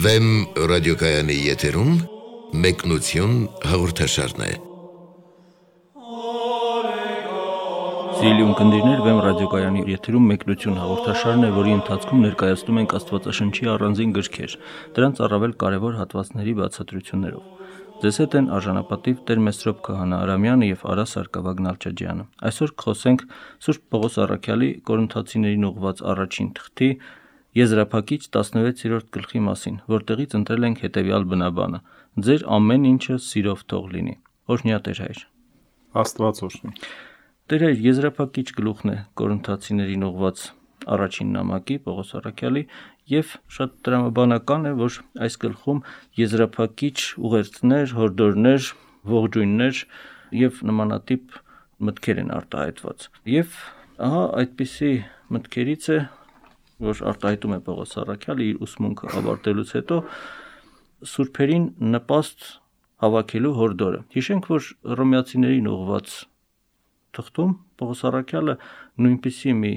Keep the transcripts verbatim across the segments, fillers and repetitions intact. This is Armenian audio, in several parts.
Վեմ ռադիոկայանի եթերում մեկնություն հաղորդաշարն է։ Սիրելի ունկնդիրներ, Վեմ ռադիոկայանի եթերում մեկնություն հաղորդաշարն է, որի ընթացքում ներկայացնում ենք Աստվածաշնչի առանձին գրքեր, դրանց առավել կարևոր հատվածների բացատրություններով։ Ձեզ հետ են արժանապատիվ Տեր Մեսրոպ Քահանա Արամյանը եւ Արա Սարգսակյան Նալչաջյանը։ Այսօր կխոսենք Սուրբ Պողոս առաքյալի Կորինթացիներին ուղղված առաջին թղթի եզրափակիչ տասնվեցերորդ գլխի մասին, որտեղից ընտրել ենք հետևյալ բնաբանը. Ձեր ամեն ինչը սիրով թող լինի։ Օրհնյա Տեր Հայր։ Աստված օրհնի։ Տեր Հայր, եզրափակիչ գլուխն է Կորինթացիներին ուղղված առաջին նամակի Պողոս առաքյալի եւ շատ տրամաբանական է, որ այս գլխում եզրափակիչ ուղերձներ, հորդորներ, ողջույններ եւ նմանատիպ մտքեր են արտահայտված։ Եվ ահա այդպիսի մտքերից է, որ արտահայտում է Պողոս առաքյալը իր ուսմունքը ավարտելուց հետո սուրբերին նպաստ հավաքելու հորդորը։ Հիշենք, որ Հռոմեացիներին ուղղված թղթում Պողոս առաքյալը նույնպիսի մի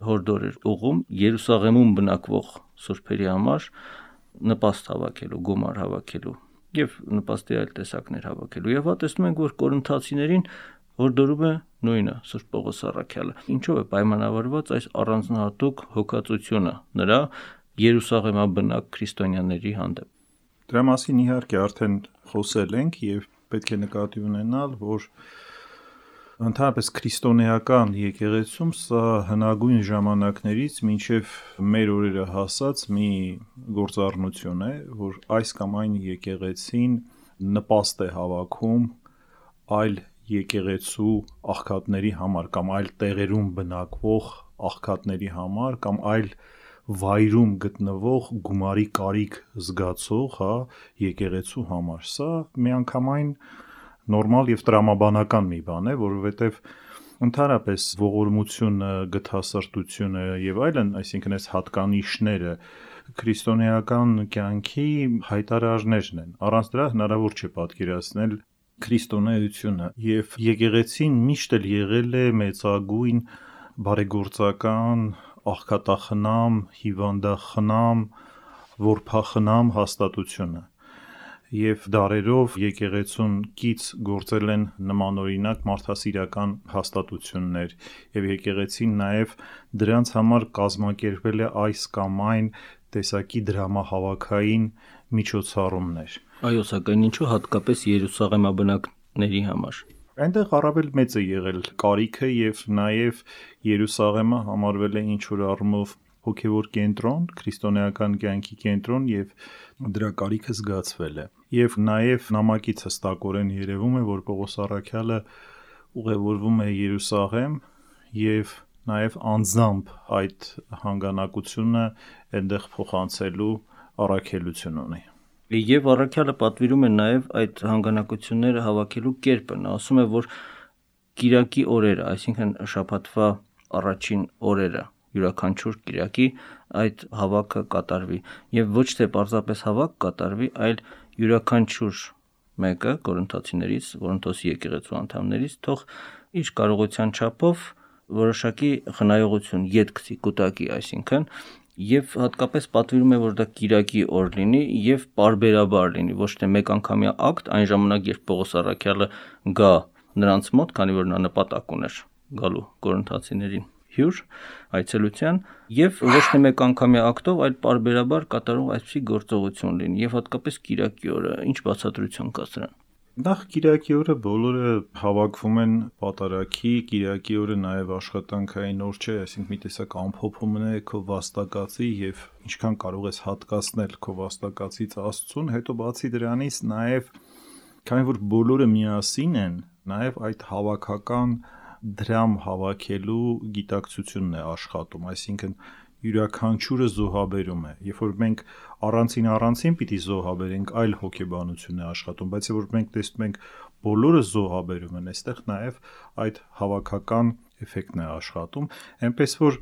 հորդոր էր ուղղում Երուսաղեմում բնակվող սուրբերի համար նպաստ հավաքելու, գումար հավաքելու եւ նպաստի այլ տեսակներ հավաքելու։ Եվ հա տեսնում ենք, որ Կորինթացիներին հորդորում է նույնը Սուրբ Պողոս առաքյալը։ Ինչով է պայմանավորված այս առանձնահատուկ հոգացությունը նրա Երուսաղեմաբնակ քրիստոնյաների հանդեպ։ Դրա մասին իհարկե արդեն խոսել ենք եւ պետք է նկատի ունենալ, որ ընդհանրապես քրիստոնեական եկեղեցում սա հնագույն ժամանակներից մինչև մեր օրերը հասած մի գործառնություն է, որ այս կամ այն եկեղեցին նպաստ է հավաքում այլ եկեղեցու աղքատների համար կամ այլ տեղերում բնակվող աղքատների համար կամ այլ վայրում գտնվող գումարի կարիք զգացող, հա, եկեղեցու համար։ Սա միանգամայն նորմալ եւ տրամաբանական մի բան է, որովհետեւ ընդհանրապես ողորմությունը, գթասրտությունը եւ այլն, այսինքն այս հատկանիշները քրիստոնեական կյանքի հայտարարներն են։ Առանց դրա հնարավոր չէ պատկերացնել քրիստոնեությունը եւ եկեղեցին միշտ էլ եղել է մեծագույն բարեգործական, աղքատախնամ, հիվանդախնամ, որբախնամ հաստատությունը եւ դարերով եկեղեցուն կից գործել են նմանօրինակ մարդասիրական հաստատություններ եւ եկեղեցին նաեւ դրանց համար կազմակերպել է այս կամ այն տեսակի դրամահավաքային միջոցառումներ։ Այո, սակայն ինչու հատկապես Երուսաղեմաբնակների համար։ Այնտեղ առավել մեծ է եղել կարիքը եւ նաեւ Երուսաղեմը համարվել է ինչ-որ առումով հոգևոր կենտրոն, քրիստոնեական կյանքի կենտրոն եւ դրա կարիքը զգացվել է։ Եվ նաեւ նամակից հստակորեն երևում է, որ Պողոս առաքյալը ուղևորվում է Երուսաղեմ եւ նաեւ անձամբ այդ հանգանակությունը այնտեղ փոխանցելու առաքելություն ունի։ Եվ առաքյալը պատվիրում է նաեւ այդ հանգանակությունները հավաքելու կերպը։ Նա ասում է, որ կիրակի օրերը, այսինքն շաբաթվա առաջին օրերը, յուրաքանչյուր կիրակի այդ հավաքը կատարվի եւ ոչ թե պարզապես հավաք կատարվի, այլ յուրաքանչյուր մեկը կորինթացիներից, Կորինթոսի եկեղեցու անդամներից թող իր կարողության չափով որոշակի խնայողություն ետքցի, կուտակի, այսինքն եւ հատկապես պատվիրում է, որ դա կիրակի օր լինի եւ պարբերաբար լինի, ոչ թե մեկ անգամյա ակտ, այն ժամանակ, երբ Պողոս առաքյալը գա նրանց մոտ, քանի որ նա նպատակ ուներ գալու կորինթացիներին հյուր այցելության եւ ոչ թե մեկ անգամյա ակտով, այլ պարբերաբար կատարող այսպիսի գործողություն լինի եւ հատկապես կիրակի օրը ինչ բացատրություն կա սրան։ Նախ կիրակի օրը բոլորը հավաքվում են պատարագի, կիրակի օրը նաև աշխատանքային օր չէ, այսինքն մի տեսակ ամփոփումն է քո վաստակածի եւ ինչքան կարող ես հատկացնել քո վաստակածից Աստծուն, հետո բացի դրանից նաև քանի որ բոլորը միասին են, նաև այդ հավաքական դրամ հավաքելու գիտակցությունն է աշխատում, այսինքն յուրաքանչյուրը զոհաբերում է։ Երբ որ մենք առանցին առանցին պիտի զոհաբերենք, այլ հոգեբանություն է աշխատում, բայց երբ որ մենք տեսնում ենք բոլորը զոհաբերում են, այստեղ նաև այդ հավաքական էֆեկտն է աշխատում, այնպես որ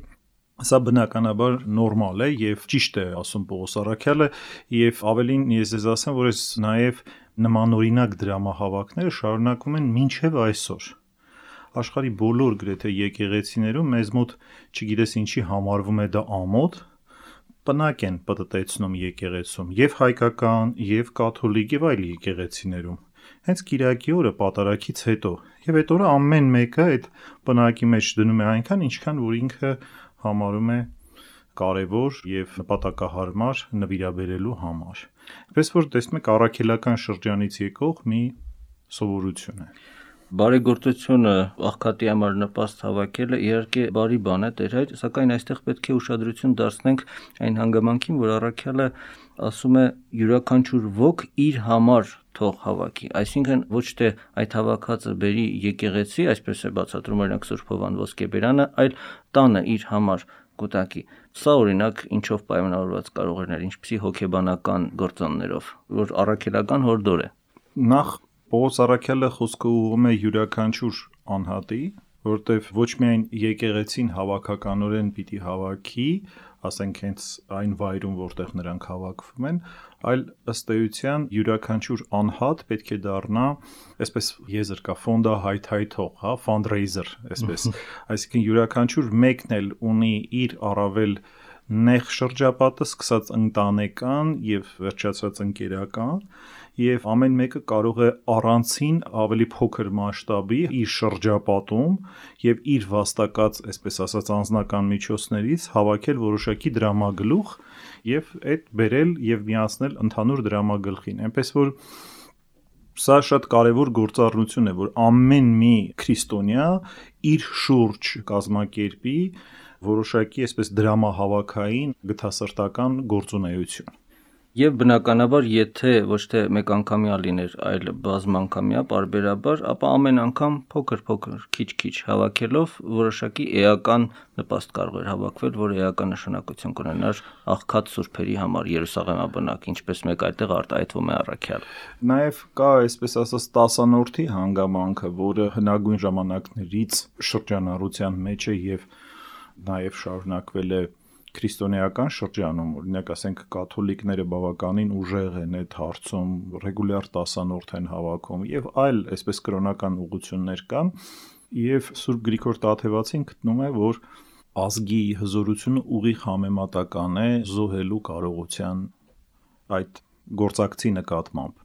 սա բնականաբար նորմալ է եւ ճիշտ է ասում Պողոս առաքյալը եւ ավելին ես ձեզ ասեմ, որ այս նաև նմանօրինակ դրամահավաքները շարունակվում են մինչեւ այսօր։ Աշխարհի բոլոր գրեթե եկեղեցիներում մեզ մոտ չգիտես ինչի համարվում է դա ամոթ, պնակ են պտտեցնում եկեղեցում եւ հայկական, եւ կաթոլիկ եւ այլ եկեղեցիներում։ Հենց Կիրակի օրը պատարագից հետո եւ այդ օրը ամեն մեկը այդ պնակի մեջ դնում է այնքան, ինչքան որ ինքը համարում է կարևոր եւ նպատակահարմար նվիրաբերելու համար։ Այսպես որ տեսնում եք առաքելական շրջանից եկող մի սովորություն է։ Բարեգործությունը աղքատի համար նպաստ հավաքելը իհարկե բարի բան է, Տեր հայր, սակայն այստեղ պետք է ուշադրություն դարձնենք այն հանգամանքին, որ առաքյալը ասում է յուրաքանչյուր ոք իր համար թող հավաքի, այսինքն ոչ թե այդ հավաքածը բերի եկեղեցի, այսպես է բացատրում օրինակ Սուրբ Հովան Ոսկեբերյանը, այլ տանը իր համար կուտակի։ Սա օրինակ ինչով պայմանավորված կարող է լինել, ինչպիսի հոգեբանական գործոններով, որ առաքելական հորդոր է։ Նախ Պողոս առաքյալը խոսքը ուղղում է յուրաքանչյուր անհատի, որտեվ ոչ միայն եկեղեցին հավաքականորեն պիտի հավաքի, ասենք հենց այն վայրում, որտեղ նրանք հավաքվում են, այլ ըստ էության յուրաքանչյուր անհատ պետք է դառնա, այսպես եզր կա, ֆոնդա հայթայթող, հա, fundraiser, այսպես, այսինքն յուրաքանչյուր մեկն էլ ունի իր առավել նեղ շրջապատը, սկսած ընտանեկան եւ վերջացած ընկերական, եւ ամեն մեկը կարող է առանցին ավելի փոքր մասշտաբի իր շրջապատում եւ իր վաստակած, այսպես ասած, անձնական միջոցներից հավաքել որոշակի դրամագլուխ եւ այդ բերել եւ միացնել ընդհանուր դրամագլխին։ Այնպես որ սա շատ կարևոր գործառնություն է, որ ամեն մի քրիստոնյա իր շուրջ կազմակերպի որոշակի այսպես դրամահավաքային գթասրտական գործունեություն։ Եվ բնականաբար, եթե ոչ թե մեկ անգամյա լիներ, այլ բազմանգամյա պարբերաբար, ապա ամեն անգամ փոքր-փոքր, քիչ-քիչ հավաքելով որոշակի էական նպաստ կարող էր հավաքվել, որը էական նշանակություն կունենար աղքատ սուրբերի համար Երուսաղեմաբնակ, ինչպես մեկ այդտեղ արտահայտվում է առաքյալ։ Նաև կա, այսպես ասած, տասանորդի հանգամանքը, որը հնագույն ժամանակներից շրջանառության մեջ է եւ նաև շարունակվել է քրիստոնեական շրջանում, օրինակ ասենք կաթոլիկները բավականին ուժեղ են այդ հարցում, ռեգուլյար տասանորդ են հավաքում եւ այլ այսպես կրոնական ուղղություններ կան, եւ Սուրբ Գրիգոր Տաթևացին գտնում է, որ ազգի հզորությունը ուղիղ համեմատական է զոհելու կարողության այդ գործակցի նկատմամբ։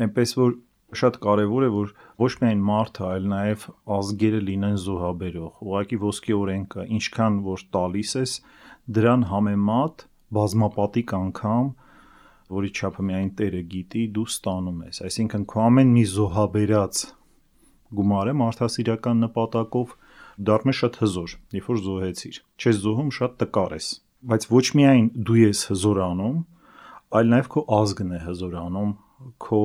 Այնպես որ շատ կարևոր է, որ ոչ միայն մարդը, այլ նաև ազգերը լինեն զոհաբերող։ Ուղղակի ոսկե օրենքը, ինչքան որ տալիս ես, դրան համեմատ բազմապատիկ անգամ, որի չափը միայն Տերը գիտի, դու ստանում ես։ Այսինքն քո ամեն մի զոհաբերած գումարը մարդասիրական նպատակով դառնում է շատ հզոր, երբ որ զոհեցիր։ Չես զոհում, շատ տկար ես։ Բայց ոչ միայն դու ես հզորանում, այլ նաև քո ազգն է հզորանում, քո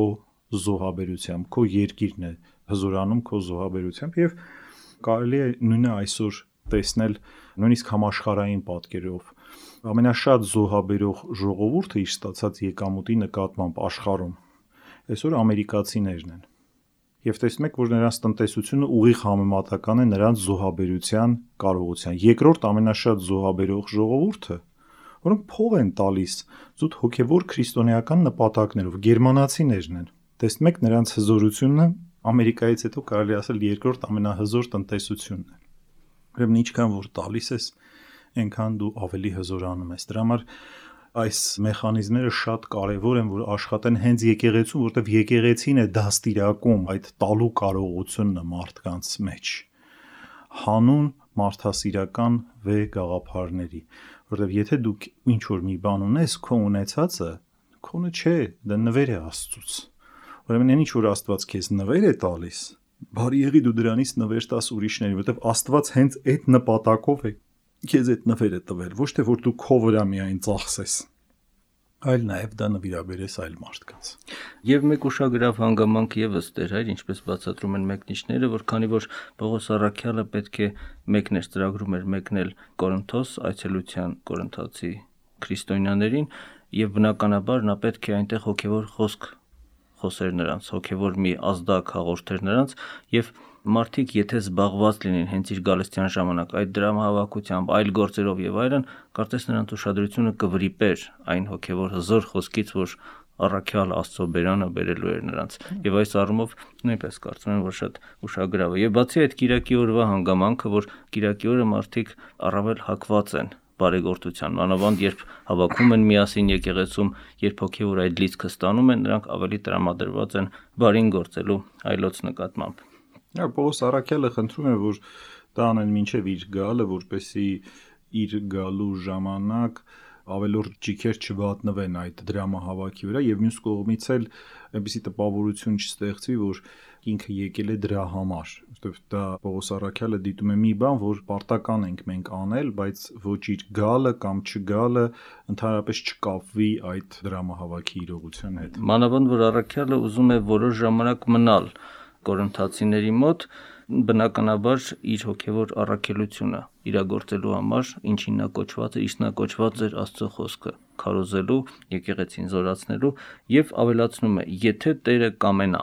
զոհաբերությամբ, քո երկիրն է հզորանում քո զոհաբերությամբ եւ կարելի է նույնը այսօր տեսնել նույնիսկ համաշխարհային պատկերով ամենաշատ զոհաբերող ժողովուրդը իր ստացած եկամուտի նկատմամբ աշխարհում այսօր ամերիկացիներն են եւ տեսնում եք որ նրանց տնտեսությունը ուղիղ համեմատական է նրանց զոհաբերության կարողության երկրորդ ամենաշատ զոհաբերող ժողովուրդը որոնք փող են տալիս զուտ հոգեվոր քրիստոնեական նպատակներով գերմանացիներն են տեսնում եք նրանց հզորությունը Ամերիկայից հետո կարելի ասել երկրորդ ամենահզոր տնտեսությունն է։ Ուրեմն ինչքան որ տալիս ես, այնքան դու ավելի հզորանում ես։ Դրա համար այս մեխանիզմները շատ կարևոր են, որ աշխատեն հենց եկեղեցում, որտեղ եկեղեցին է դաստիարակում այդ տալու կարողությունը մարդկանց մեջ։ Հանուն մարդասիրական վե գաղափարների, որտեղ եթե դու ինչ որ մի բան ունես, քո ունեցածը քոնը չէ, դա նվեր է Աստծուց։ Ուրեմն ինչ որ Աստված քեզ նվեր է տալիս, բարի եղի դու դրանից նվեր տաս ուրիշներին, որովհետև Աստված հենց այդ նպատակով է քեզ այդ նվերը տվել, ոչ թե որ դու քո վրա միայն ծախսես, այլ նաև դա նվիրաբերես այլ մարդկանց։ Եվ մեկ ուշագրավ հանգամանք եւս Տեր հայր, ինչպես բացատրում են մեկնիչները, որ քանի որ Պողոս առաքյալը պետք է մեկն էր ծրագրում էր մեկնել Կորինթոս այցելության կորինթացի քրիստոնյաներին, եւ բնականաբար նա պետք է այնտեղ հոգեվոր խոսք խոսեր նրանց, հոգևոր մի ազդակ հաղորդեր նրանց եւ մարդիկ եթե զբաղված լինեն հենց իր գալստյան ժամանակ այդ դրամահավաքությամբ, այլ գործերով եւ այլն, կարծես նրանց ուշադրությունը կվրիպեր այն հոգևոր հզոր խոսքից, որ առաքյալ Աստծո բերանը բերելու էր նրանց։ Եվ այս առումով նույնպես կարծում եմ, որ շատ ուշագրավ է։ Եվ բացի այդ Կիրակի օրվա հանգամանքը, որ Կիրակի օրը մարդիկ առավել հակված են բարեգործության, մանավանդ երբ հավաքում են միասին եկեղեցում, երբ հոգևոր այդ լիցքը ստանում են, նրանք ավելի տրամադրված են բարին գործելու այլոց նկատմամբ։ Պողոս Առաքյալը խնդրում է, որ դա անեն մինչև իր գալը, որպեսզի իր գալու ժամանակ ավելորդ ճիքեր չվատնվեն այդ դրամահավաքի վրա եւ մյուս կողմից էլ այնպեսի տպավորություն չստեղծվի, որ ինքը եկել է դրա համար, որովհետեւ դա Պողոս Առաքյալը դիտում է մի բան, որ պարտական ենք մենք անել, բայց ոչ իր գալը կամ չգալը ընդհանրապես չկապվի այդ դրամահավաքի իրողության հետ։ Մանավանդ որ Առաքյալը ուզում է որոշ ժամանակ մնալ կորինթացիների մոտ, բնականաբար իր հոգևոր առաքելությունը իրագործելու համար, ինչին նա կոչված է, իսկ նա կոչված էր Աստծո խոսքը քարոզելու, եկեղեցին զորացնելու եւ ավելացնում է, եթե Տերը կամենա։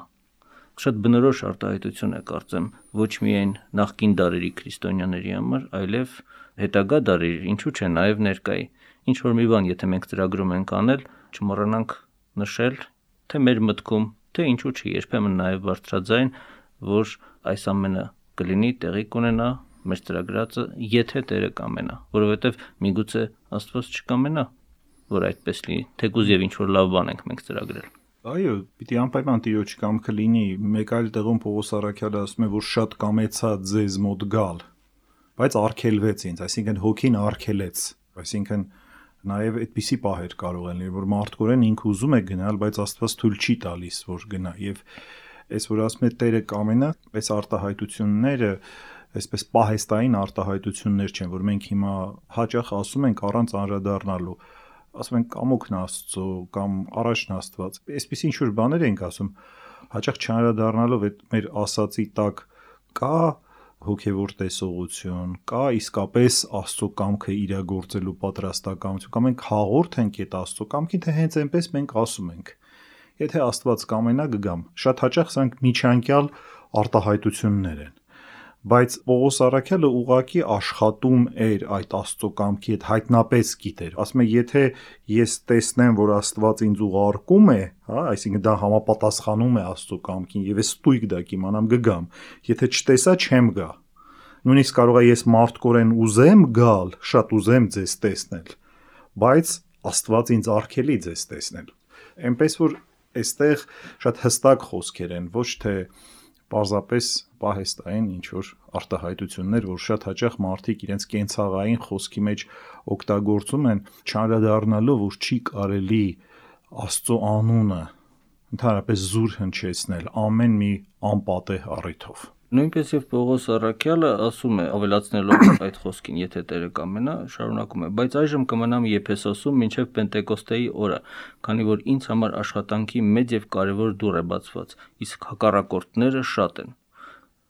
Շատ բնորոշ արտահայտություն է, կարծեմ, ոչ միայն նախկին դարերի քրիստոնյաների համար, այլև հետագա դարերի, ինչու՞ չէ, նաեւ ներկայի։ Ինչ որ մի բան, եթե մենք ծրագրում ենք անել, չմոռանանք նշել, թե մեր մտքում, թե ինչու՞ չէ, երբեմն նաեւ բարձրաձայն, որ այս ամենը կլինի, տեղի կունենա մեր ծրագրածը, եթե Տերը կամենա, որովհետև միգուցե Աստված չկամենա, որ այդպես լինի, թեկուզ եւ ինչ որ լավ բան ենք մենք ծրագրել։ Այո, պիտի անպայման Տիրոջ կամքը լինի, մեկ այլ տեղում Պողոս Առաքյալը ասում է, որ շատ կամեցա ձեզ մոտ գալ, բայց արգելվեց ինձ, այսինքն հոգին արգելեց, այսինքն նաև այդպիսի պահեր կարող են լինել, որ մարդկորեն ինքը ուզում է գնալ, բայց Աստված թույլ չի տալիս, որ գնա, եւ այս որ ասում է Տերը կամենա, այս արտահայտությունները, այսպես պահեստային արտահայտություններ չեն, որ մենք հիմա հաճախ ասում ենք առանց անդրադառնալու, ասում ենք կամոքն Աստծո կամ առաջն Աստված, այսպես ինչ որ բաներ ենք ասում, հաճախ չանդրադառնալով այդ մեր ասացի տակ կա հոգևոր տեսողություն, կա իսկապես Աստծո կամքը իրագործելու պատրաստակամություն, կամ մենք հաղորդ ենք այդ Աստծո կամքին, թե հենց այնպես մենք ասում ենք։ Եթե Աստված կամենա կգամ, շատ հաճախ սրանք միջանկյալ արտահայտություններ են, բայց Պողոս Առաքյալը ուղղակի աշխատում էր այդ Աստծո կամքի հետ, հայտնապես գիտեր, ասում է, եթե ես տեսնեմ, որ Աստված ինձ ուղարկում է, հա, այսինքն դա համապատասխանում է Աստծո կամքին, եւ ես ստույգ դա կիմանամ կգամ, եթե չտեսա չեմ գա, նույնիսկ կարող է ես մարդկորեն ուզեմ գալ, շատ ուզեմ ձեզ տեսնել, բայց Աստված ինձ արգելի ձեզ տեսնել, այնպես որ այստեղ շատ հստակ խոսքեր են, ոչ թե պարզապես պահեստային ինչ-որ արտահայտություններ, որ շատ հաճախ մարդիկ իրենց կենցաղային խոսքի մեջ օգտագործում են, չանդրադառնալով, որ չի կարելի Աստծո անունը ընդհանրապես զուր հնչեցնել ամեն մի անպատեհ առիթով։ Նույնպես եւ Պողոս Առաքյալը ասում է, ավելացնելով այդ խոսքին, եթե Տերը կամենա, շարունակում է, բայց այժմ կմնամ Եփեսոսում մինչև Պենտեկոստեի օրը, քանի որ ինձ համար աշխատանքի մեծ եւ կարեւոր դուռ է բացված, իսկ հակառակորդները շատ են։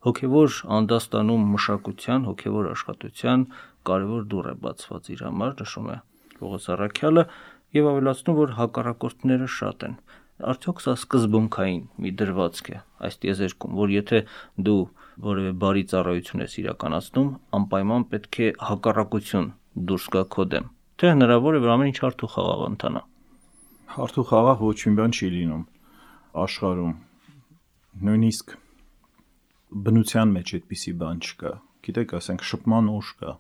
Հոգևոր անդաստանում մշակության, հոգևոր աշխատության կարեւոր դուռ է բացված իր համար, նշում է Պողոս Առաքյալը եւ ավելացնում, որ հակառակորդները շատ են։ Արդյոք սա սկզբունքային մի դրվածք է այս տիեզերքում, որ եթե դու որևէ բարի ծառայություն ես իրականացնում, անպայման պետք է հակառակություն դուրս գա քո դեմ, թե հնարավոր է որ ամեն ինչ հարթ ու խաղաղ ընթանա։ Հարթ ու խաղաղ ոչ մի բան չի լինում աշխարհում, նույնիսկ բնության մեջ այդպիսի բան չկա, գիտեք, ասենք շփման ուժ կա,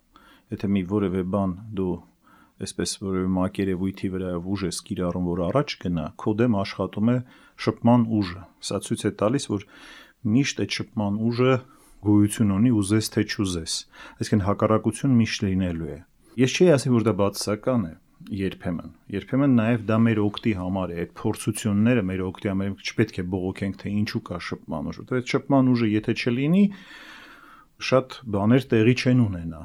եթե մի որևէ բան դու այսպես որևէ մակերևույթի վրայով ուժ ես կիրառում, որ առաջ գնա, քո դեմ աշխատում է շփման ուժը։ Սա ցույց է տալիս, որ միշտ այդ շփման ուժը գոյություն ունի, ուզես թե չուզես։ Այսինքն հակառակություն միշտ լինելու է։ Ես չի ասի, որ դա բացասական է, երբեմն։ Երբեմն նաև դա մեր օգտի համար է, այդ փորձությունները մեր օգտի համար է, չպետք է բողոքենք, թե ինչու կա շփման ուժ։ Որտեղ այդ շփման ուժը եթե չլինի, շատ բաներ տեղի չեն ունենա։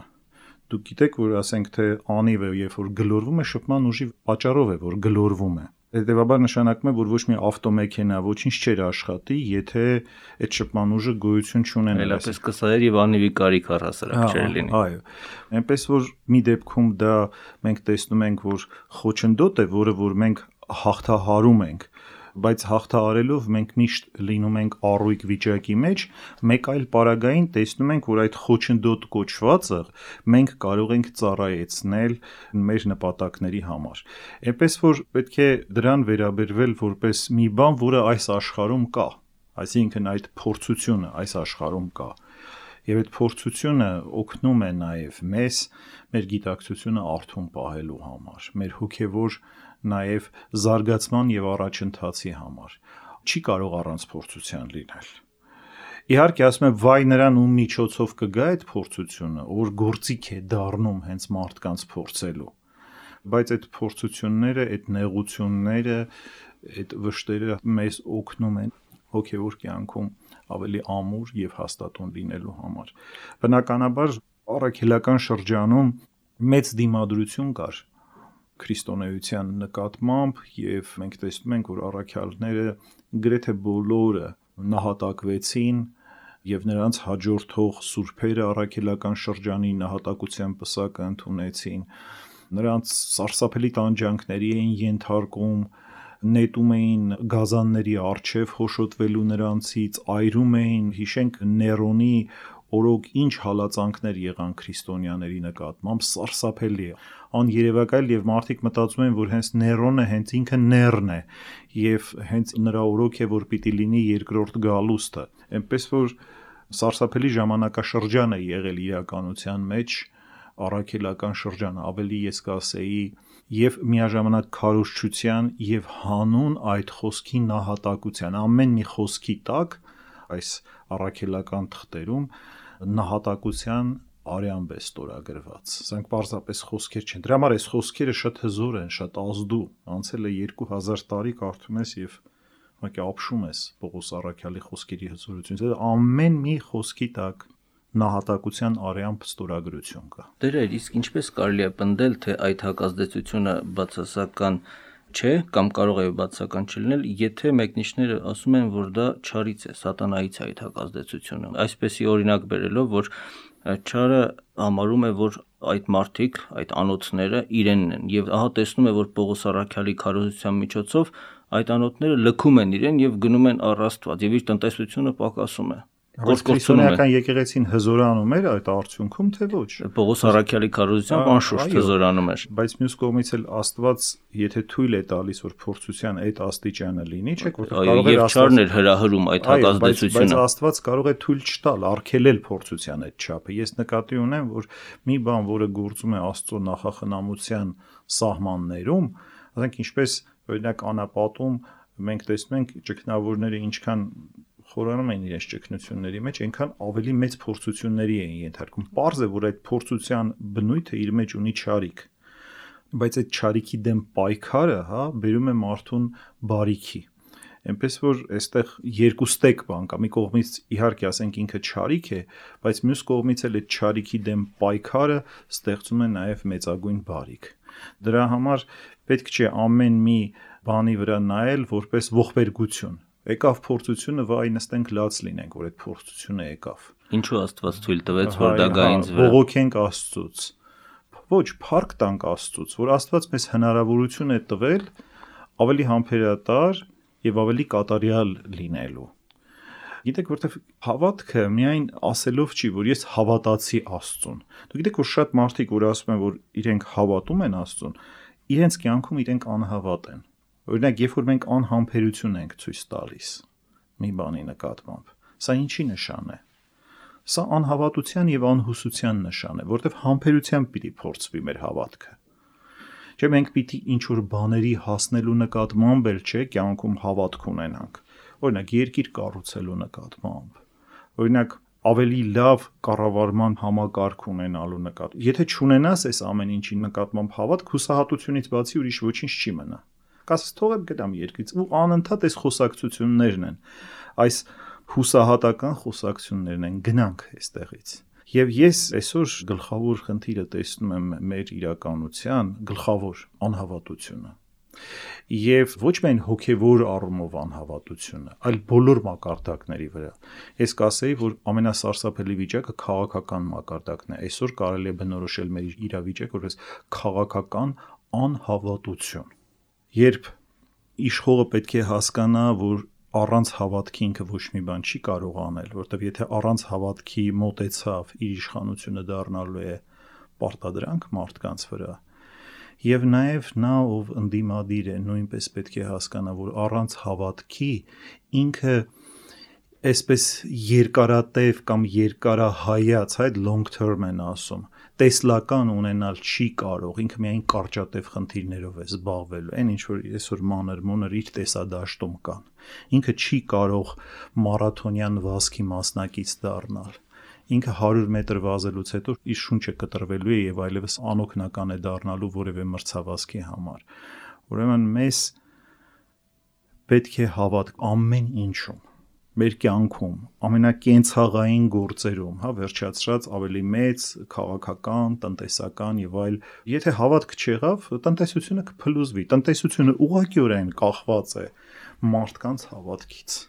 Դուք գիտեք, որ ասենք թե անիվը, երբ որ գլորվում է, շփման ուժի պատճառով է, որ գլորվում է։ Հետևաբար նշանակում է, որ ոչ մի ավտոմեքենա ոչինչ չէր աշխատի, եթե այդ շփման ուժը գոյություն չունենար։ Այլապես կսայր եւ անիվի կարիք առհասարակ չէր լինի։ Այո։ Այնպես որ մի դեպքում դա մենք տեսնում ենք, որ խոչընդոտ է, որը որ մենք հաղթահարում ենք, բայց հաղթահարելով մենք միշտ լինում ենք առույգ վիճակի մեջ, մեկ այլ պարագային տեսնում ենք, որ այդ խոչընդոտ կոչվածը մենք կարող ենք ծառայեցնել մեր նպատակների համար։ Այնպես որ պետք է դրան վերաբերվել որպես մի բան, որը այս աշխարհում կա, այսինքն այդ փորձությունը այս աշխարհում կա։ Եվ այդ փորձությունը օգնում է նաև մեզ մեր գիտակցությունը արթուն պահելու համար, մեր հոգևոր նաև զարգացման եւ առաջընթացի համար։ Չի կարող առանց փորձության լինել։ Իհարկե ասում եմ վայ նրան ում միջոցով կգա այդ փորձությունը, որ գործիք է դառնում հենց մարդկանց փորձելու։ Բայց այդ փորձությունները, այդ նեղությունները, այդ վշտերը մեզ օգնում են հոգևոր կյանքում ավելի ամուր եւ հաստատուն լինելու համար։ Բնականաբար առաքելական շրջանում մեծ դիմադրություն կար քրիստոնեության նկատմամբ եւ մենք տեսնում ենք, որ առաքյալները գրեթե բոլորը նահատակվեցին եւ նրանց հաջորդող սուրբերը առաքելական շրջանի նահատակության պսակը ընդունեցին։ Նրանց սարսափելի տանջանքների էին ենթարկում, նետում էին գազանների առջև խոշոտվելու նրանցից, այրում էին, հիշենք Ներոնի օրոք ինչ հալածանքներ եղան քրիստոնյաների նկատմամբ, սարսափելի է, աներևակայել եւ մարդիկ մտածում են, որ հենց Ներոնը հենց ինքը Ներն է եւ հենց նրա օրոք է, որ պիտի լինի երկրորդ գալուստը։ Այնպես որ սարսափելի ժամանակաշրջան է եղել իրականության մեջ, առաքելական շրջան, ավելի ես կասեի եւ միաժամանակ քարոզչության եւ հանուն այդ խոսքի նահատակության, ամեն մի խոսքի տակ այս առաքելական թղթերում նահատակության արյամբ է ստորագրված։ Սրանք պարզապես խոսքեր չեն։ Դրա համար այս խոսքերը շատ հզոր են, շատ ազդու։ Անցել է երկու հազար տարի կարդում ես եւ ուղղակի ապշում ես Պողոս առաքյալի խոսքերի հզորությունից։ Ամեն մի խոսքի տակ նահատակության արյամբ ստորագրություն կա։ Դեր իսկ ինչպես կարելի է պնդել, թե այդ հակազդեցությունը բացասական չէ կամ կարող է բացասական չլինել, եթե մեկնիշները ասում են, որ դա չարից է, սատանայից է այդ հակազդեցությունը։ Այսպեսի օրինակ բերելով, որ չարը համարում է, որ այդ մարդիկ, այդ անոթները իրենն են, եւ ահա տեսնում է, որ Պողոս առաքյալի քարոզության միջոցով այդ անոթները լքում են իրեն եւ գնում են առ Աստված, եւ իր տնտեսությունը պակասում է։ Քրիստոնեական եկեղեցին հզորանում էր այդ արդյունքում, թե ոչ։ Պողոս առաքյալի քարոզությամբ անշուշտ հզորանում էր։ Բայց մյուս կողմից էլ Աստված, եթե թույլ է տալիս, որ փորձության այդ աստիճանը լինի, չէ՞, որտեղ կարող է Աստվածն էր հրահրում այդ հակազդեցությունը։ Բայց Աստված կարող է թույլ չտալ, արգելել փորձության այդ չափը։ Ես նկատի ունեմ, որ մի բան, որը գործում է Աստծո նախախնամության սահմաններում, ասենք ինչպես օրինակ անապատում մենք տեսնում ենք ճգնավորները ինչքան խորանում են իրենց ճգնությունների մեջ, այնքան ավելի մեծ փորձությունների են ենթարկում։ Պարզ է, որ այդ փորձության բնույթը իր մեջ ունի չարիք, բայց այդ չարիքի դեմ պայքարը, հա, բերում է մարդուն բարիքի։ Այնպես որ այստեղ երկու ստեկ բան կա։ Մի կողմից իհարկե ասենք ինքը չարիք է, բայց մյուս կողմից էլ այդ չարիքի դեմ պայքարը ստեղծում է նաև մեծագույն բարիք։ Դրա համար պետք չէ ամեն մի բանի վրա նայել որպես ողբերգություն։ Եկավ փորձությունը, վայ նստենք լաց լինենք, որ այդ փորձությունը եկավ։ Ինչու Աստված թույլ տվեց, որ դա գա ինձ վրա։ Բողոքենք Աստծուց։ Ոչ, փառք տանք Աստծուց, որ Աստված մեզ հնարավորություն է տվել ավելի համբերատար եւ ավելի կատարյալ լինելու։ Գիտեք, որտեվ հավատքը միայն ասելով չի, որ ես հավատացի Աստծուն։ Դուք գիտեք, որ շատ մարդիկ, որ ասում են, որ իրենք հավատում են Աստծուն, իրենց կյանքում իրենք անհավատ են։ Օրինակ, երբ որ մենք անհամբերություն ենք ցույց տալիս մի բանի նկատմամբ, սա ինչի նշան է։ Սա անհավատության եւ անհուսության նշան է, որտեվ համբերությամբ պիտի փորձվի մեր հավատքը։ Չէ, մենք պիտի ինչ-որ բաների հասնելու նկատմամբ էլ չէ, կյանքում հավատք ունենանք։ Օրինակ, երկիր կառուցելու նկատմամբ։ Օրինակ, ավելի լավ կառավարման համակարգ ունենալու նկատմամբ։ Եթե չունենաս այս ամեն ինչի նկատմամբ հավատք, հուսահատությունից բացի ուրիշ ոչինչ չի մնա։ Կասես թողեմ գտամ երկրից ու անընդհատ այս խոսակցություններն են, այս հուսահատական խոսակցություններն են, գնանք այստեղից։ Եվ ես այսօր գլխավոր խնդիրը տեսնում եմ մեր իրականության, գլխավոր անհավատությունը։ Եվ ոչ միայն հոգևոր առումով անհավատությունը, այլ բոլոր մակարդակների վրա։ Ես կասեի, որ ամենասարսափելի վիճակը քաղաքական մակարդակն է։ Այսօր կարելի է բնորոշել մեր իրավիճակը որպես քաղաքական անհավատություն։ Երբ իշխողը պետք է հասկանա, որ առանց հավատքի ինքը ոչ մի բան չի կարող անել, որտեղ եթե առանց հավատքի մոտեցավ, իր իշխանությունը դառնալու է պարտադրանք մարդկանց վրա։ Եվ նաև նա, ով ընդդիմադիր է, նույնպես պետք է հասկանա, որ առանց հավատքի ինքը այսպես երկարատև կամ երկարահայաց, այդ long term են ասում, տեսլական ունենալ չի կարող, ինքը միայն կարճատև խնդիրներով է զբաղվելու, այն ինչ որ այսօր մանր-մունր իր տեսադաշտում կան, ինքը չի կարող մարաթոնյան վազքի մասնակից դառնալ, ինքը հարյուր մետր վազելուց հետո իր շունչը կտրվելու է եւ այլևս անօգնական է դառնալու որևէ մրցավազքի համար, ուրեմն մեզ պետք է հավատք ամեն ինչում, մեր կյանքում, ամենակենցաղային գործերում, հա, վերջացրած ավելի մեծ, քաղաքական, տնտեսական եւ այլ, եթե հավատք չեղավ, տնտեսությունը կփլուզվի, տնտեսությունը ուղղակիորեն կախված է մարդկանց հավատքից։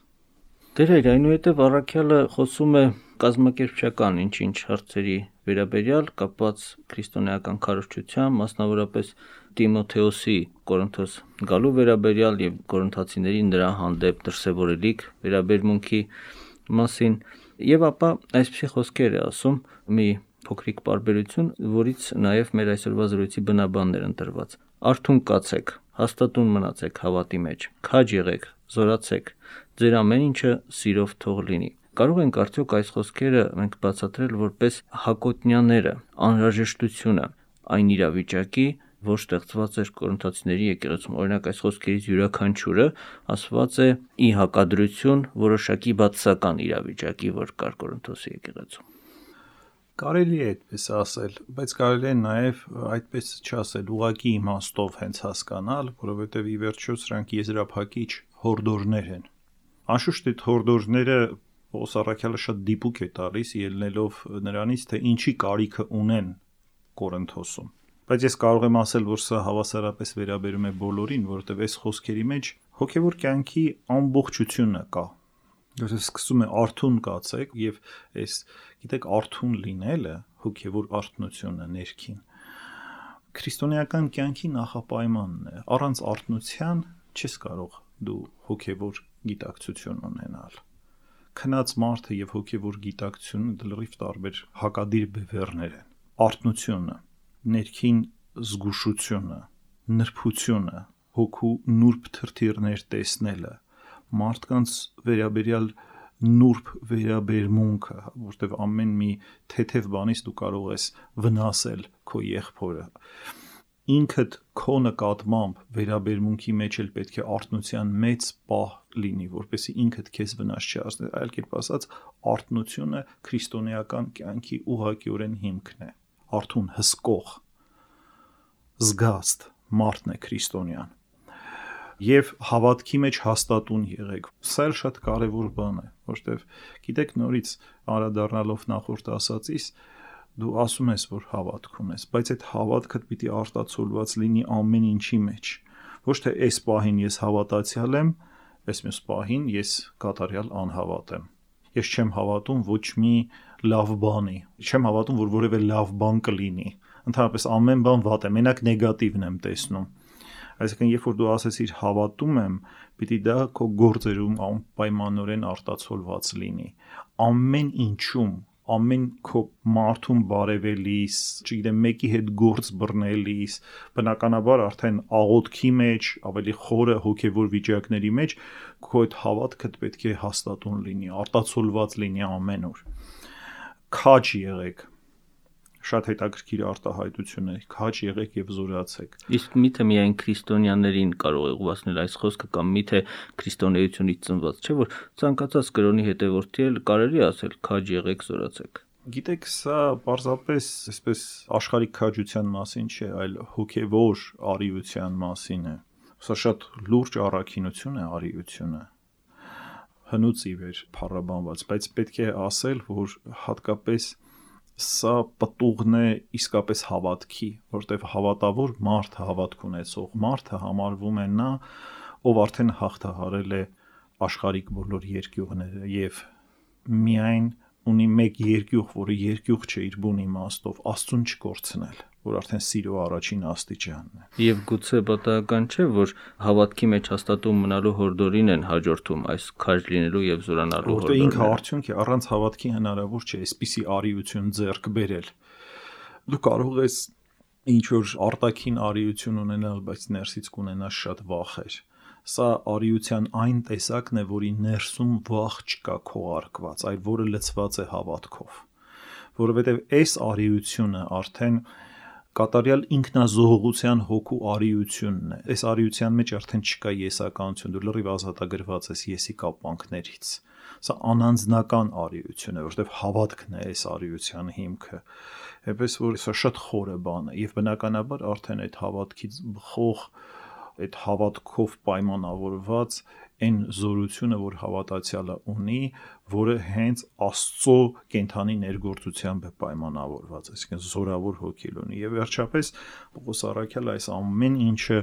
Դեր այնուհետև առաքյալը խոսում է կազմակերպչական ինչ-ինչ հարցերի վերաբերյալ կապված քրիստոնեական քարոզչությամբ, մասնավորապես Տիմոթեոսի Կորինթոս գալու վերաբերյալ եւ կորինթացիներին նրա հանդեպ դրսեւորելիք վերաբերմունքի մասին եւ ապա այսպիսի խոսքեր է ասում մի փոքրիկ պարբերություն, որից նաեւ մեր այսօրվա զրույցի բնաբաններ ընտրված։ Արթուն կացեք, հաստատուն մնացեք հավատի մեջ, քաջ եղեք, զորացեք, ձեր ամեն ինչը սիրով թող լինի։ Կարող ենք արդյոք այս խոսքերը մենք բացատրել որպես հակոտնյաները, անհրաժեշտությունը այն իրավիճակի, որ ստեղծված էր կորինթացիների եկեղեցում։ Օրինակ այս խոսքերից յուրաքանչյուրը ասված է ի հակադրություն որոշակի բացասական իրավիճակի, որ կար Կորինթոսի եկեղեցում։ Կարելի է այդպես ասել, բայց կարելի է նաև այդպես չասել, ուղղակի իմաստով հենց հասկանալ, որովհետև ի վերջո սրանք եզրափակիչ հորդորներ են։ Անշուշտ այդ հորդորները Պողոս առաքյալը շատ դիպուկ է տալիս ելնելով նրանից, թե ինչի կարիքը ունեն Կորինթոսում։ Բայց ես կարող եմ ասել, որ սա հավասարապես վերաբերում է բոլորին, որովհետև այս խոսքերի մեջ հոգևոր կյանքի ամբողջությունը կա։ Որը սկսում է արթուն կացեք եւ այս գիտեք արթուն լինելը հոգևոր արթնությունը ներքին քրիստոնեական կյանքի նախապայմանն է։ Առանց արթնության չես կարող դու հոգևոր գիտակցություն ունենալ։ Քնած մարդը եւ հոգևոր գիտակցությունը լրիվ տարբեր հակադիր բևեռներ են։ Արթնությունը, ներքին զգուշությունը, նրբությունը, հոգու նուրբ թրթիռներ տեսնելը, մարդկանց վերաբերյալ նուրբ վերաբերմունքը, որտեղ ամեն մի թեթև բանից դու կարող ես վնասել քո եղբորը։ Ինքդ քո նկատմամբ վերաբերմունքի մեջ էլ պետք է արթնության մեծ պահ լինի, որպեսզի ինքդ քեզ վնաս չհասնի, այլ կերպ ասած, արթնությունը քրիստոնեական կյանքի ուղղակիորեն հիմքն է։ Արթուն հսկող, զգաստ մարդն է քրիստոնյան։ Եվ հավատքի մեջ հաստատուն եղեք։ Սա էլ շատ կարևոր բան է, որտեվ գիտեք նորից անդրադառնալով նախորդ ասածից, դու ասում ես, որ հավատք ունես, բայց այդ հավատքը պիտի արտացոլված լինի ամեն ինչի մեջ։ Ոչ թե այս պահին ես հավատացյալ եմ, այս մյուս պահին ես կատարյալ անհավատ եմ։ Ես չեմ հավատում ոչ մի լավ բանի, չեմ հավատում, որ որևէ լավ բան կլինի։ Ընդհանրապես ամեն բան վատ է, մենակ նեգատիվն եմ տեսնում։ Այսինքն, երբ որ դու ասեցիր հավատում եմ, պիտի դա քո գործերում անպայմանորեն արտացոլված լինի։ Ամեն ինչում, ամեն քո մարդուն բարևելիս, չգիտեմ, մեկի հետ գործ բռնելիս, բնականաբար արդեն աղոթքի մեջ, ավելի խորը հոգևոր վիճակների մեջ, քո այդ հավատքդ պետք է հաստատուն լինի, արտացոլված լինի ամենուր։ Քաջ եղեք։ Շատ հետաքրքիր արտահայտություն է, քաջ եղեք եւ զորացեք։ Իսկ միթե միայն քրիստոնյաներին կարող է ուղղացնել այս խոսքը կամ միթե քրիստոնեությունից ծնված, չէ՞ որ ցանկացած կրոնի հետևորդի էլ կարելի ասել քաջ եղեք, զորացեք։ Գիտեք, սա պարզապես այսպես աշխարհիկ քաջության մասին չէ, այլ հոգևոր արիության մասին է։ Սա շատ լուրջ առաքինություն է արիությունը։ Հնուց ի վեր փառաբանված, բայց պետք է ասել, որ հատկապես սա պտուղն է իսկապես հավատքի, որտեղ հավատավոր մարդ, հավատք ունեցող մարդը համարվում է նա, ով արդեն հաղթահարել է աշխարհիկ բոլոր երկյուղները եւ միայն ունի մեկ երկյուղ, որը երկյուղ չէ իր բուն իմաստով, Աստծուն չկորցնել, որ արդեն սիրո առաջին աստիճանն է։ Եվ գուցե պատահական չէ, որ հավատքի մեջ հաստատում մնալու հորդորին են հաջորդում այս քաջ լինելու եւ զորանալու հորդորները։ Որտեղ ինքը արդյունք է, առանց հավատքի հնարավոր չէ այսպիսի արիություն ձեռք բերել։ Դու կարող ես ինչ որ արտաքին արիություն ունենալ, բայց ներսից կունենաս շատ վախեր։ Սա արիության այն տեսակն է, որի ներսում վախ չկա քողարկված, այլ որը լցված է հավատքով, որովհետև այս արիությունը արդեն կատարյալ ինքնազոհողության հոգու արիությունն է։ Այս արիության մեջ արդեն չկա եսականություն, դու լրիվ ազատագրված ես եսի կապանքներից։ Սա անանձնական արիություն է, որովհետև հավատքն է այս արիության հիմքը։ Էպես որ սա շատ խորը բան է, եւ բնականաբար արդեն այդ հավատքից խող, այդ հավատքով պայմանավորված այն զորությունը, որ հավատացյալը ունի, որը հենց Աստծո կենթանի ներգործությամբ է պայմանավորված, այսինքն զորավոր հոգի ունի։ Եվ վերջապես Պողոս առաքյալը այս ամեն ինչը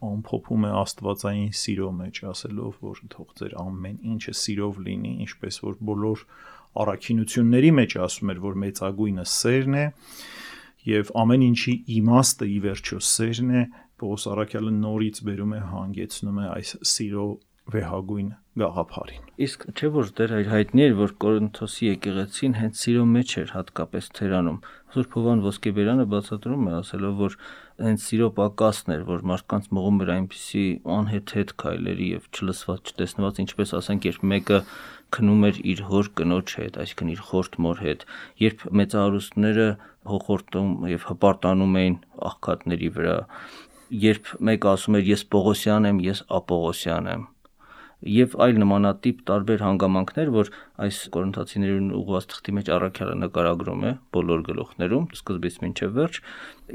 ամփոփում է աստվածային սիրո մեջ, ասելով, որ թող ձեր ամեն ինչը սիրով լինի, ինչպես որ բոլոր առաքինությունների մեջ ասում էր, որ մեծագույնը սերն է, եւ ամեն ինչի իմաստը ի վերջո սերն է։ Պողոս առաքյալը նորից բերում է, հանգեցնում է այս սիրո վեհագույն գաղափարին։ Իսկ չէ՞ որ դեռ հայտնի էր, որ Կորինթոսի եկեղեցին հենց սիրո մեջ էր հատկապես թերանում։ Սուրբ Հովհան Ոսկեբերյանը բացատրում է, ասելով, որ հենց սիրո պակասն էր, որ մարդկանց մղում էր այնպիսի անհեթեթ քայլերի եւ չլսված, չտեսնված, ինչպես ասենք, երբ մեկը քնում էր իր հոր կնոջ հետ, այսինքն իր խորտ մոր հետ, երբ մեծահարուստները հոխորտում եւ հպարտանում էին աղքատների վրա, երբ մեկը ասում էր ես Պողոսյան եմ, ես Ապողոսյան եմ, եւ այլ նմանատիպ տարբեր հանգամանքներ, որ այս Կորինթացիներին ուղղված թղթի մեջ առաքյալը նկարագրում է բոլոր գլուխներում, սկզբից մինչև վերջ,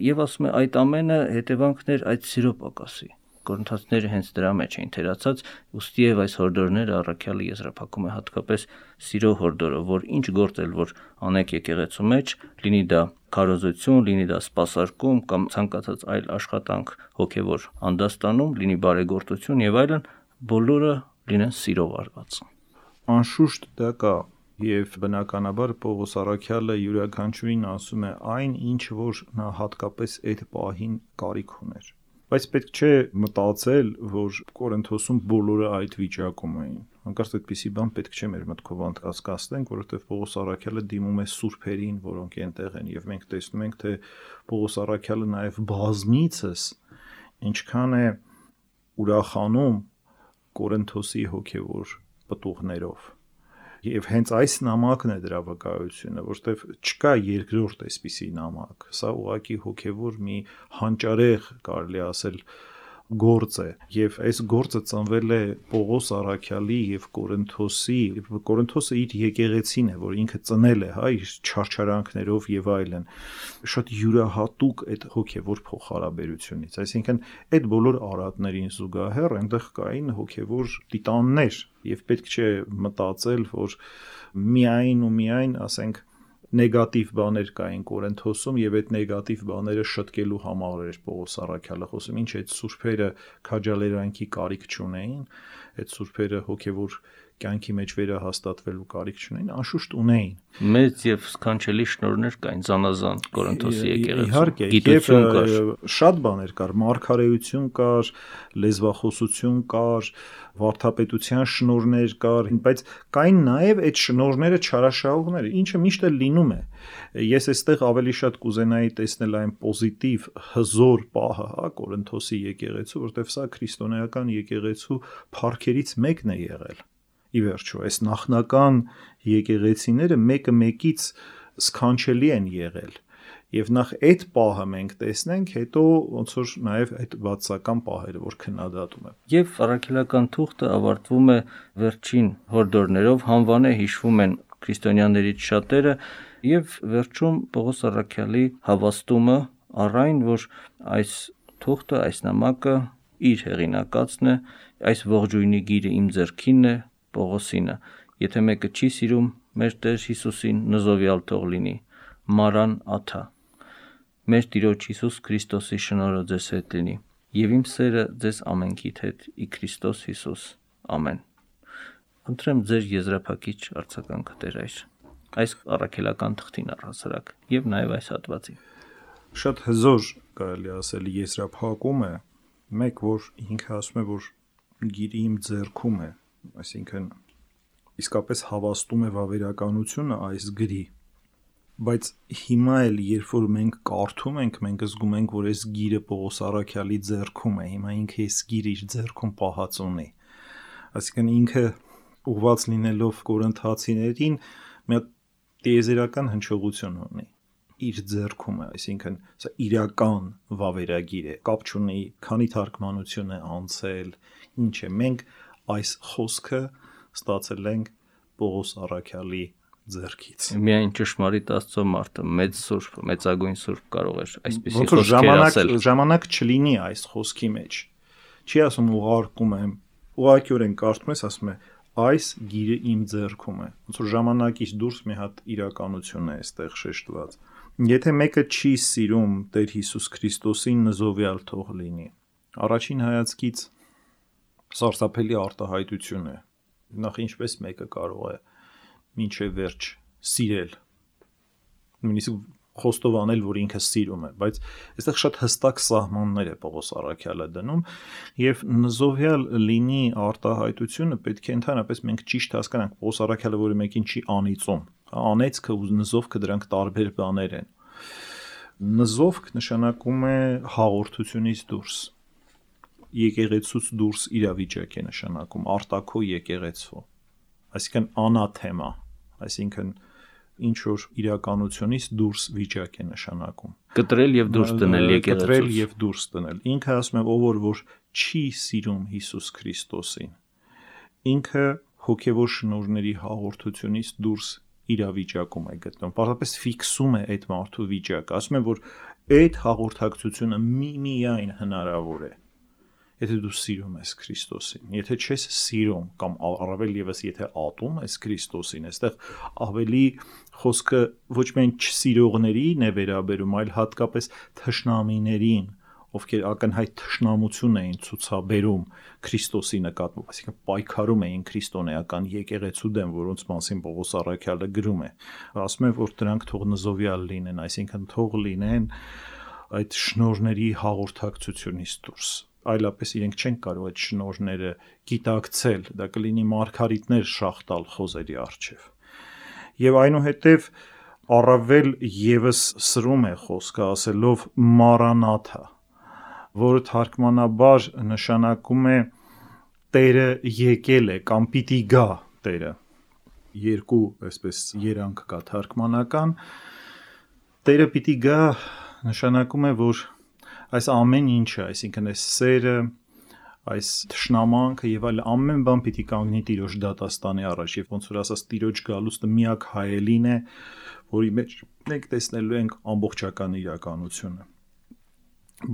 եւ ասում է այդ ամենը հետևանքներ այդ սիրո պակասի։ Կորինթացիները հենց դրա մեջ էին թերացած, ուստի եւ այս հորդորները առաքյալը եզրափակում է հատկապես սիրո հորդորը, որ ինչ գործ էլ որ անեք եկեղեցու մեջ, լինի դա քարոզություն, լինի դա սպասարկում կամ ցանկացած այլ աշխատանք հոգեվոր անդաստանում, լինի բարեգործություն եւ այլն, բոլորը լինեն սիրով արված։ Անշուշտ դա կա, եւ բնականաբար Պողոս առաքյալը յուրաքանչյուրին ասում է այն, ինչ որ նա հատկապես այդ պահին կարիք ուներ։ Բայց պետք չէ մտածել, որ Կորինթոսում բոլորը այդ վիճակում էին։ Հանկարծ այդպիսի բան պետք չէ մեր մտքով անցկացնենք, որովհետև Պողոս առաքյալը դիմում է սուրբերին, որոնք այնտեղ են, եւ մենք տեսնում ենք, թե Պողոս առաքյալը նաեւ բազմիցս ինչքան է ուրախանում Կորինթոսի հոգևոր պտուղներով։ Եվ հենց այս նամակն է դրա վկայությունը, որտեղ չկա երկրորդ այսպիսի նամակ։ Սա ուղղակի հոգևոր մի հանճարեղ, կարելի ասել, գործ է, եւ այս գործը ծնվել է Պողոս առաքյալի եւ Կորինթոսի, Կորինթոսը իր եկեղեցին է, որ ինքը ծնել է, հա, իր չարչարանքներով եւ այլն, շատ յուրահատուկ այդ հոգևոր փոխհարաբերությունից, այսինքն այդ բոլոր արատներին զուգահեռ այնտեղ կային հոգևոր տիտաններ, եւ պետք չէ մտածել, որ միայն ու միայն, ասենք, նեգատիվ բաներ կային Կորինթոսում եւ այդ նեգատիվ բաները շտկելու համար էր Պողոս առաքյալը խոսում, ինչ այդ սուրբերը քաջալերանքի կարիք չունեին, այդ սուրբերը հոգևոր կյանքի մեջ վերահաստատվելու կարիք չունեին, անշուշտ ունեին։ Մեծ եւ սքանչելի շնորհներ կային զանազան Կորինթոսի եկեղեցում։ Իհարկե, գիտություն կար, շատ բաներ կար, մարգարեություն կար, լեզվախոսություն կար, վարդապետության շնորհներ կար, բայց կային նաեւ այդ շնորհները չարաշահողներ, ինչը միշտ էլ լինում է։ Ես այստեղ ավելի շատ կուզենայի տեսնել այն պոզիտիվ հզոր պահը, հա, Կորինթոսի եկեղեցու, որտեղ սա քրիստոնեական եկեղեցու փառքերից մեկն է եղել։ Ի վերջո, այս նախնական եկեղեցիները մեկը մեկից սքանչելի են եղել, եւ նախ այդ պահը մենք տեսնենք, հետո ոնց որ նաեւ այդ բացական պահերը, որ քննադատում է։ Եվ առաքելական թուղթը ավարտվում է վերջին հորդորներով, հանվանե հիշվում են քրիստոնյաներից շատերը, եւ վերջում Պողոս առաքյալի հավաստումը առ այն, որ այս թուղթը, այս նամակը իր հեղինակածն է, այս ողջույնի գիրը իմ ձեռքինն է, Պողոսինը, եթե մեկը չի սիրում մեր Տեր Հիսուսին, նզովյալ թող լինի, Մարան Աթա, մեր Տիրոջ Հիսուս Քրիստոսի շնորհը ձեզ հետ լինի, եւ իմ սերը ձեզ ամենքիդ հետ ի Քրիստոս Հիսուս, ամեն։ Խնդրեմ ձեր եզրափակիչ արձագանքը Տեր այր այս առաքելական թղթին առհասարակ եւ նաեւ այս հատվածին։ Շատ հզոր, կարելի ասել, եզրափակում է, մեկ որ ինքը ասում է, որ գիրը իմ ձեռքում է, այսինքն իսկապես հավաստում է վավերականությունը այս գրի, Բայց հիմա էլ երբ որ մենք կարդում ենք, մենք զգում ենք, որ այս գիրը Պողոս Առաքյալի ձեռքում է, հիմա ինքը այս գիրը իր ձեռքում պահած ունի։ Այսինքն ինքը ուղված լինելով կորինթացիներին մի հատ տիեզերական հնչողություն ունի իր ձեռքում է, այսինքն սա իրական վավերագիր է, կապ չունի քանի թարգմանություն է անցել, ինչ է, մենք այս խոսքը ստացել ենք Պողոս Առաքյալի ձեռքից։ Միայն ճշմարիտ Աստծո մարդը, մեծ սուրբ, մեծագույն սուրբ կարող էր այսպիսի խոսքեր ասել։ Ժամանակ չլինի այս խոսքի մեջ։ Չի ասում ուղարկում եմ, ուղղակիորեն կարդում ես, ասում է այս գիրը իմ ձեռքում է։ Ոնց որ ժամանակից դուրս մի հատ իրականություն է այստեղ շեշտված։ Եթե մեկը չի սիրում Տեր Հիսուս Քրիստոսին, նզովյալ թող լինի։ Առաջին հայացքից սարսափելի արտահայտություն է։ Նախ ինչպես մեկը կարող է մինչև վերջ սիրել, նույնիսկ խոստով անել, որ ինքը սիրում է, բայց այստեղ շատ հստակ սահմաններ է Պողոս Առաքյալը դնում, եւ նզովյալ լինի արտահայտությունը պետք է ընդհանրապես մենք ճիշտ հասկանանք Պողոս Առաքյալը, որը մեկին չի անիծում, անեծքը ու նզովքը դրանք տարբեր բաներ են։ Նզովք նշանակում է հաղորդությունից դուրս, եկեղեցուց դուրս իրավիճակ է նշանակում, արտաքո եկեղեցու, այսինքն անաթեմա, այսինքն ինչ որ իրականությունից դուրս վիճակ է նշանակում։ Կտրել եւ դուրս դնել եկեղեցուց։ Կտրել եւ դուրս դնել։ Ինքը ասում է, ով որ որ չի սիրում Հիսուս Քրիստոսին, ինքը հոգեվոր շնորհների հաղորդությունից դուրս իրավիճակում է գտնում։ Պարզապես ֆիքսում է այդ մարդու վիճակը, ասում է, որ այդ հաղորդակցությունը միմիայն հնարավոր է, եթե դու սիրում ես Քրիստոսին, եթե չես սիրում կամ առավել եւս եթե ատում ես Քրիստոսին, այստեղ ավելի խոսքը ոչ միայն չսիրողներին է վերաբերում, այլ հատկապես թշնամիներին, ովքեր ակնհայտ թշնամություն էին ցուցաբերում Քրիստոսի նկատմամբ, այսինքն պայքարում էին քրիստոնեական եկեղեցու դեմ, որոնց մասին Պողոս Առաքյալը գրում է։ Ասում է, որ դրանք թող նզովյալ լինեն, այսինքն թող լինեն այդ շնորհների հաղորդակցությունից դուրս, այլապես իրենք չեն կարող այդ շնորհները գիտակցել, դա կլինի մարգարիտներ շախտալ խոզերի առջև։ Եվ այնուհետև առավել եւս սրում է խոսքը ասելով Մարանաթա, որը թարգմանաբար նշանակում է Տերը եկել է կամ պիտի գա Տերը։ Երկու այսպես երանգ կա թարգմանական։ Տերը պիտի գա նշանակում է, որ այս ամեն ինչը, այսինքն այս սերը, այս թշնամանքը եւ այլ ամեն բան պիտի կանգնի Տիրոջ դատաստանի առաջ, եւ ոնց որ ասած Տիրոջ գալուստը միակ հայելին է, որի մեջ մենք տեսնելու ենք ամբողջական իրականությունը։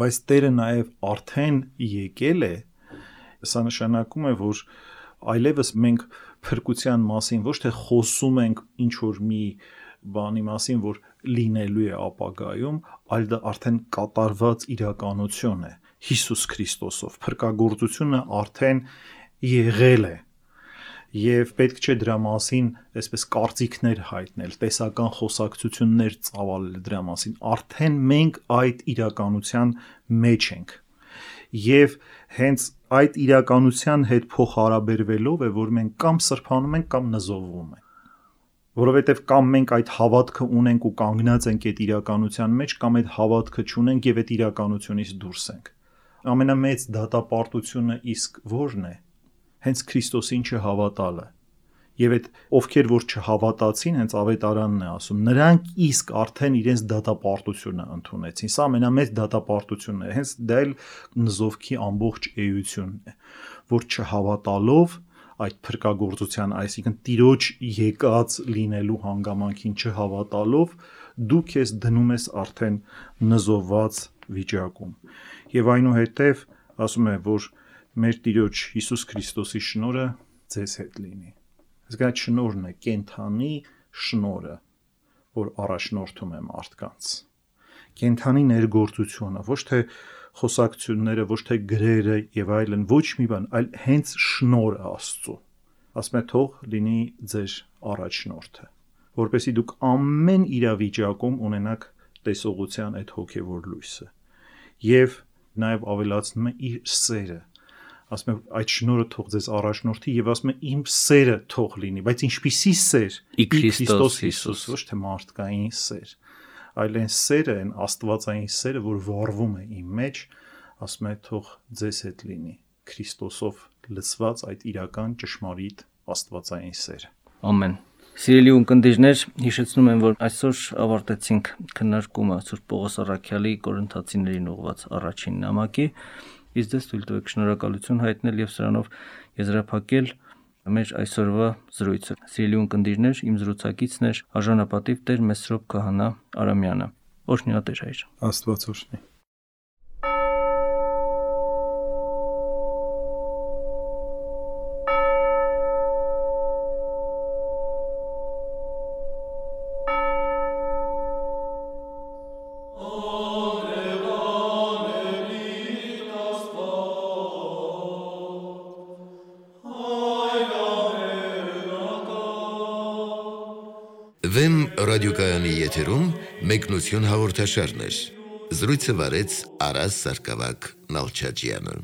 Բայց Տերը նաեւ արդեն եկել է, սա նշանակում է, որ այլևս մենք փրկության մասին ոչ թե խոսում ենք ինչ որ մի բանի մասին, որ լինելու է ապագայում, այլ դա արդեն կատարված իրականություն է Հիսուս Քրիստոսով, փրկagorցությունը արդեն եղել է եւ պետք չէ դրա մասին այսպես կարծիքներ հայտնել, տեսական խոսակցություններ ծավալել դրա մասին, արդեն մենք այդ իրականության մեջ ենք եւ հենց այդ իրականության հետ փոխհարաբերվելով է, որ մենք կամ սրբանում ենք կամ նզովվում ենք, որովհետև կամ մենք այդ հավատքը ունենք ու կանգնած ենք այդ իրականության մեջ, կամ այդ հավատքը չունենք եւ այդ իրականությունից դուրս ենք։ Ամենամեծ դատապարտությունը իսկ ո՞րն է։ Հենց Քրիստոսին չհավատալը։ Եվ այդ ովքեր որ չհավատացին, հենց ավետարանն է ասում, նրանք իսկ արդեն իրենց դատապարտությունը ընդունեցին։ Սա ամենամեծ դատապարտությունն է։ Հենց դա էլ նզովքի ամբողջ էությունն է, որ չհավատալով այդ փրկagorցության, այսինքն Տիրոջ եկած լինելու հանգամանքին չհավատալով, դու քեզ դնում ես արդեն նզովված վիճակում։ Եվ այնուհետև ասում է, որ մեր Տիրոջ Հիսուս Քրիստոսի շնորհը ձեզ հետ լինի։ Իսկ այդ շնորհն է կենթանի շնորհը, որ առաջնորդում է մարդկանց։ Կենթանի ներգործությունը, ոչ թե խոսակցությունները, ոչ թե գրերը եւ այլն, ոչ մի բան, այլ հենց շնորհը Աստծո։ Ասում է թող լինի ձեր առաջնորդը, որպեսզի դուք ամեն իրավիճակում ունենաք տեսողության այդ հոգեվոր լույսը։ Եվ նաեւ ավելացնում է իր սերը, ասում եմ այդ շնորհը թող ձեզ առաջնորդի եւ ասում եմ իմ սերը թող լինի, բայց ինչպիսի սեր՝ ի Քրիստոս Հիսուս, ոչ թե մարդկային սեր, այլ այն սերը, այն աստվածային սերը, որ վառվում է իմ մեջ, ասում եմ թող ձեզ հետ լինի, Քրիստոսով լցված այդ իրական ճշմարիտ աստվածային սերը։ Ամեն։ Սիրելի ունկնդիրներ, հիշեցնում եմ, որ այսօր ավարտեցինք քննարկումը Սուրբ Պողոս առաքյալի Կորինթացիներին ուղղված առաջին նամակի, իսկ դες թույլ տվեք շնորհակալություն հայտնել եւ սրանով եզրափակել մեր այսօրվա զրույցը։ Սիրելի ունկնդիրներ, իմ զրուցակիցն էր արժանապատիվ Տեր Մեսրոպ Քահանա Արամյանը։ Օրհնյա Տեր հայր։ Աստված օրհնի։ Վեմ ռադիոկայանի եթերում մեկնություն հաղորդաշարներ։ Զրույցը վարեց Արաս Սարգսակյան Նալչաջյանը։